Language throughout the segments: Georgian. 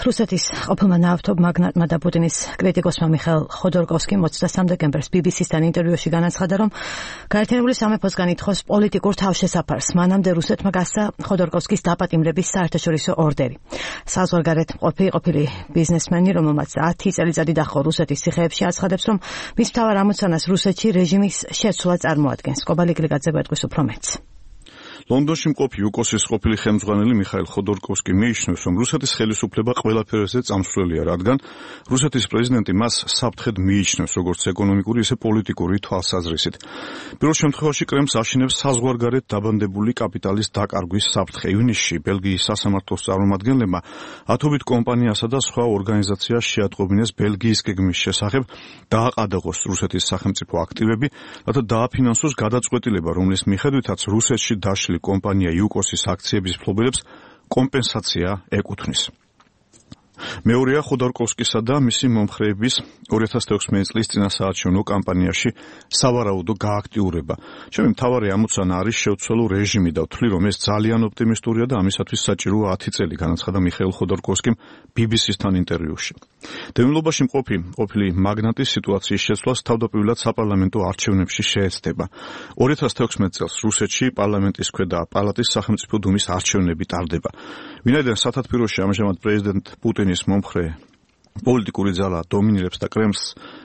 რუსეთის ყოფილმა ნავთობ მაგნატმა და პუტინის კრიტიკოსმა მიხაილ ხოდორკოვსკიმ 23 დეკემბერს BBC-სთან ინტერვიუში განაცხადა, რომ გაერთიანებული სამეფოსგან ითხოვს პოლიტიკურ თავშესაფარს. მანამდე რუსეთმა გასცა ხოდორკოვსკის დაპატიმრების საერთაშორისო ორდერი. საზღვარგარეთ ყოფილი ბიზნესმენი, რომელმაც 10 წელიწადი დაჰყო რუსეთის ციხეებში, აცხადებს, რომ მის მთავარ ამოცანას რუსეთში რეჟიმის შეცვლა წარმოადგენს. კობალიკლიgadze გვეტყვის უფრო მეტს. ლონდონში მყოფი იუკოსის ყოფილი ხელმძღვანელი მიხაილ ხოდორკოვსკი მიიჩნევს, რომ რუსეთის ხელისუფლება ყველაფერზე წამსვლელია, რადგან რუსეთის პრეზიდენტი მას საფრთხედ მიიჩნევს, როგორც ეკონომიკური, ისე პოლიტიკური თვალსაზრისით. პირველ შემთხვევაში კრემლს აშინებს საზღვარგარეთ დაბანდებული კაპიტალის დაკარგვის საფრთხე. ივნისში ბელგიის სასამართლოს წარმომადგენლებმა ათობით კომპანიასა და სხვა ორგანიზაციას შეატყობინეს ბელგიის გეგმის შესახებ დააყადაღოს რუსეთის სახელმწიფო აქტივები, რათა დააფინანსოს გადაწყვეტილება, რომლის მიხედვითაც რუსეთში დაშლილი კომპანია იუკოსის აქციების მფლობელებს კომპენსაცია ეკუთვნის. მეორეა ხოდორკოვსკისა და მისი მომხრეების 2016 წლის წინასაარჩევნო კამპანიაში სავარაუდო გააქტიურება. ჩემი მთავარი ამოცანა არის შევცვალო რეჟიმი და ვთვლი, რომ ეს ძალიან ოპტიმისტურია და ამისათვის საჭიროა 10 წელი, განაცხადა მიხაილ ხოდორკოვსკიმ BBC-სთან ინტერვიუში. დევნილობაში ყოფილი მაგნატის სიტუაციის შეცვლას თავდაპირველად საპარლამენტო არჩევნებში შეეცდება. 2016 წელს რუსეთში პარლამენტის ქვედა პალატის სახელმწიფო დუმის არჩევნები ტარდება. ვინაიდან სათათბიროში ამჟამად პრეზიდენტ პუტინის მომხრე პოლიტიკური ძალა დომინირებს და კრემლს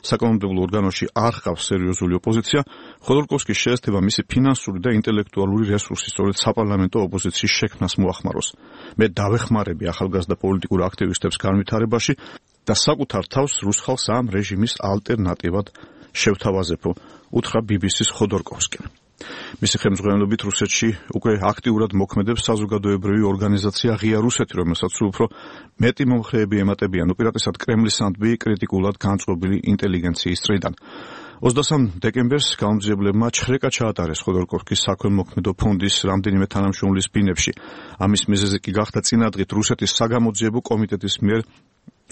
საკანონმდებლო ორგანოში არ ჰყავს სერიოზული ოპოზიცია, ხოდორკოვსკის შეეცდება მისი ფინანსური და ინტელექტუალური რესურსი სწორედ საპარლამენტო ოპოზიციის შექმნას მოახმაროს. მე დავეხმარები ახალგაზრდა პოლიტიკურ აქტივისტებს განვითარებაში და საკუთარ თავს რუს ხალხს ამ რეჟიმის ალტერნატივად შევთავაზებო, უთხრა BBC-ს ხოდორკოვსკიმ. მისი ხელმძღვანელობით რუსეთში უკვე აქტიურად მოქმედებს საზოგადოებრივი ორგანიზაცია ღია რუსეთი, რომელსაც უფრო მეტი მომხრეები ემატებიან უპირატესად კრემლის ანდბი კრიტიკულად განწყობილი ინტელიგენციის წრიდან. 23 დეკემბერს გამომძიებლებმა ჩხრეკა ჩაატარეს ხოდორკოვსკის საქველმოქმედო ფონდის რამდენიმე თანამშრომლის ბინებში. ამის მიზეზი კი გახდა წინადღით რუსეთის საგამოძიებო კომიტეტის მიერ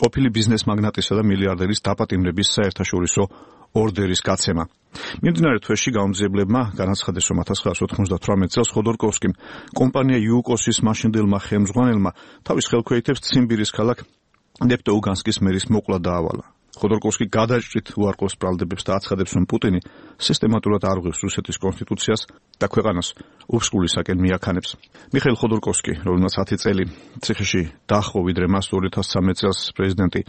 ყოფილი ბიზნეს მაგნატისა და მილიარდერის დაპატიმრების საერთაშორისო ორდერის გაცემა. მიმდინარე თვეში გამომძიებლებმა განაცხადეს, რომ 1998 წელს ხოდორკოვსკიმ კომპანია იუკოსის მაშინდელმა ხელმძღვანელმა თავის ხელქვეითებს ციმბირის ქალაქ ნეფტოუგანსკის მერის მოკვლა დაავალა. ხოდორკოვსკი გადაჭრით უარყოფს ბრალდებებს და აცხადებს, რომ პუტინი სისტემატურად არღვევს რუსეთის კონსტიტუციას და ქვეყანას უფსკულისაკენ მიაქანებს. მიხაილ ხოდორკოვსკი, რომელმაც 10 წელი ციხეში დაჰყო, ვიდრე მას 2013 წელს პრეზიდენტი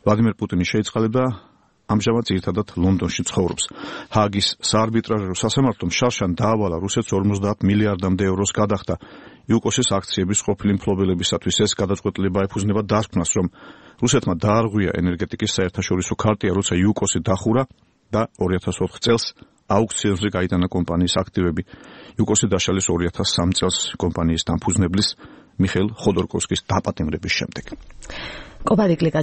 ვლადიმერ პუტინი შეიწყალება, ამჟამად ძირითადად ლონდონში ცხოვრობს. ჰააგის საარბიტრაჟო სასამართლომ შარშან დაავალა რუსეთს 50 მილიარდამდე ევროს გადახდა იუკოსის აქციების ყოფილი მფლობელებისათვის. ეს გადაწყვეტილება ეფუძნება დასკვნას, რომ რუსეთმა დაარღვია ენერგეტიკის საერთაშორისო ქარტია, როცა იუკოსი დახურა და 2004 წელს აუქციონზე გაიტანა კომპანიის აქტივები. იუკოსი დაშალეს 2003 წელს კომპანიის დამფუძნებლის მიხაილ ხოდორკოვსკის დაპატიმრების შემდეგ.